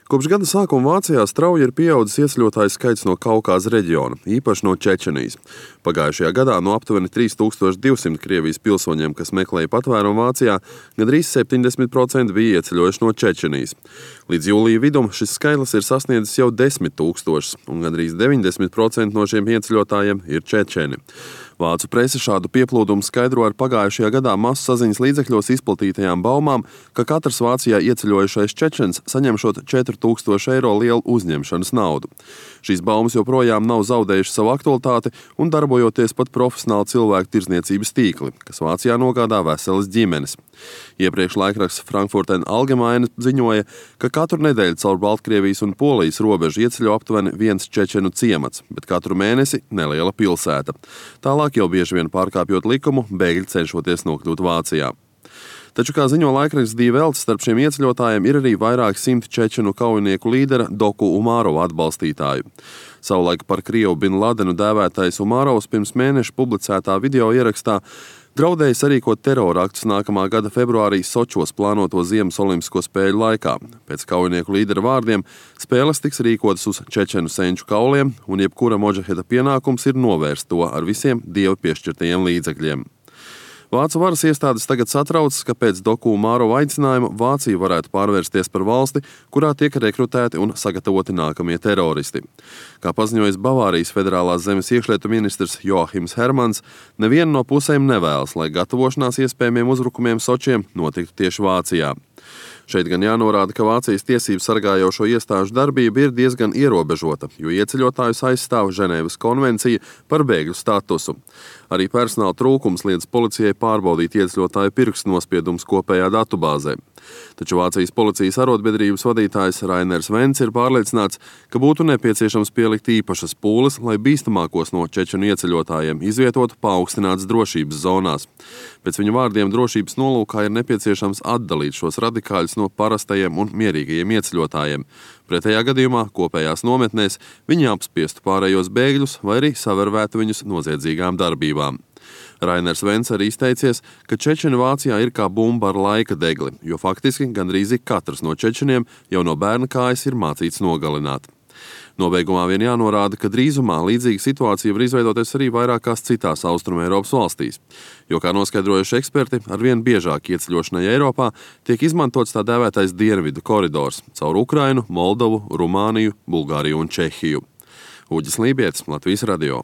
Kopš gada sākuma Vācijā strauji ir pieaudzis ieceļotāju skaits no Kaukāza reģiona, īpaši no Čečenijas. Pagājušajā gadā no aptuveni 3200 Krievijas pilsoņiem, kas meklēja patvērumu Vācijā, gandrīz 70% bija ieceļojuši no Čečenijas. Līdz jūlija vidum šis skaitlis ir sasniedzis jau 10 000, un gandrīz 90% no šiem ieceļotājiem ir čečeni. Vācu prese šādu pieplūdumu skaidro ar pagājušajā gadā masu saziņas līdzekļos izplatītajām baumām, ka katrs Vācijā ieceļojušais čečens saņemšot 4000 eiro lielu uzņemšanas naudu. Šīs baumas joprojām nav zaudējušas savu aktualitāti un darbojoties pat profesionāli cilvēku tirdzniecības tīkli, kas Vācijā nogādā veselas ģimenes. Iepriekš laikraksts Frankfurter Allgemeine ziņoja, ka katru nedēļu caur Baltkrievijas un Polijas robežu ieceļo aptuveni viens čečenu ciemats, bet katru mēnesi neliela pilsēta. Tālāk jau bieži vien pārkāpjot likumu, bēgļi cenšoties nokļūt Vācijā. Taču, kā ziņo laikraksts Die Welt, starp šiem ieceļotājiem ir arī vairāk simti čečenu kaujinieku līdera Doku Umārova atbalstītāju. Savulaik par Krievu Bin Ladenu dēvētais Umārovs pirms mēneša publicētā video ierakstā draudēja sarīkot teroraktus nākamā gada februārī Sočos plānoto Ziemas olimpisko spēļu laikā. Pēc kaujinieku līdera vārdiem spēles tiks rīkotas uz čečenu senču kauliem, un jebkura modžaheda pienākums ir novērst to ar visiem dieva piešķirtajiem līdzekļiem. Vācu varas iestādes tagad satraucas, ka pēc Doku Umārova aicinājuma Vācija varētu pārvērsties par valsti, kurā tiek rekrutēti un sagatavoti nākamie teroristi. Kā paziņojis Bavārijas federālās zemes iekšlietu ministrs Joachims Hermans, neviena no pusēm nevēlas, lai gatavošanās iespējamiem uzbrukumiem Sočiem notiktu tieši Vācijā. Šeit gan jānorāda, ka Vācijas tiesību sargājošo iestāžu darbība ir diezgan ierobežota, jo ieceļotājus aizstāv Ženēvas konvencija par bēgļu statusu. Arī personāla trūkums liedz policijai pārbaudīt ieceļotāju pirkstu nospiedumus kopējā datubāzē. Taču Vācijas policijas arotbiedrības vadītājs Rainers Vents ir pārliecināts, ka būtu nepieciešams pielikt īpašas pūles, lai bīstamākos no čečenu ieceļotājiem izvietotu paaugstinātas drošības zonās. Pēc viņa vārdiem drošības nolūkā ir nepieciešams atdalīt šos radikāļus no parastajiem un mierīgajiem ieceļotājiem. Pretējā gadījumā kopējās nometnēs viņi apspiestu pārējos bēgļus vai arī savervētu viņus noziedzīgām darbībām. Rainers Vents arī izteicies, ka čečeni Vācijā ir kā bumba ar laika degli, jo faktiski gandrīz katrs no čečeniem jau no bērna kājas ir mācīts nogalināt. Nobeigumā vien jānorāda, ka drīzumā līdzīga situācija var izveidoties arī vairākās citās Austrumu Eiropas valstīs, jo, kā noskaidrojuši eksperti, arvien biežāk ieceļošanai Eiropā tiek izmantots tā dēvētais dienvidu koridors caur Ukrainu, Moldovu, Rumāniju, Bulgāriju un Čehiju. Uģis Lībietis, Latvijas radio.